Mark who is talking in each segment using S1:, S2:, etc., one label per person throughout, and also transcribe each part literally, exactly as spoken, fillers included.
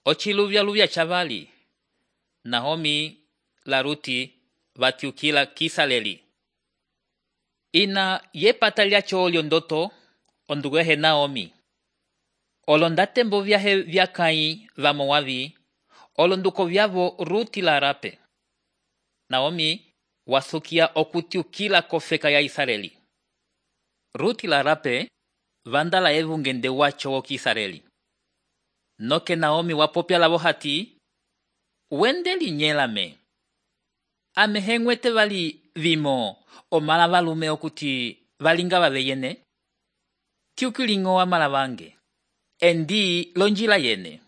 S1: Ochiluvya-luvya chavali, Naomi la Ruti vatyukila kisaleli. Ina yepata lyacho lyondoto ondugehe Naomi. Olondatembo vyahe vyakayi va Moabi, olonduko vyavo Ruti la Arape. Naomi wasukia okutyukila kofeka ya Israeli. Ruti la Arape vandala evungende wacho wo Kisareli. Noke Naomi wapopya lavo hati, wende linyelame. Amehengwete vali vimo omala valume okuti valinga vaveyene. Tyukilingo amala vange. Endi lonjila yene.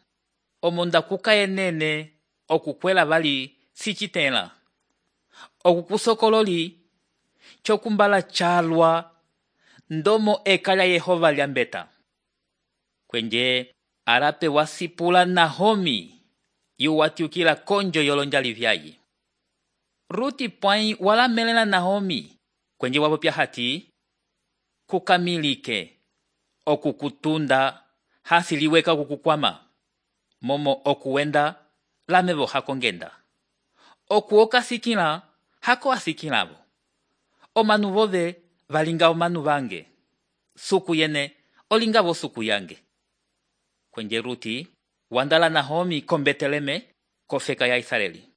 S1: Omonda kuka yenene okukwela vali sichitela. Okukusokololi chokumbala chalwa ndomo eka lya Yehova lyambeta. Kwenje Arape wasipula Naomi yu watyukila konjo yolonjali vyayi. Ruti pwai wala melela Naomi kwenje wapopya hati kukamilike okukutunda hasiliweka kukukwama momo okuwenda lamevo hakongenda. Okuoka sikila hako asikilavo. Omanu vove valinga omanu vange. Suku yene olinga vo suku yange. Kwenje Ruti wandala Naomi kombeteleme kofeka ya Israeli.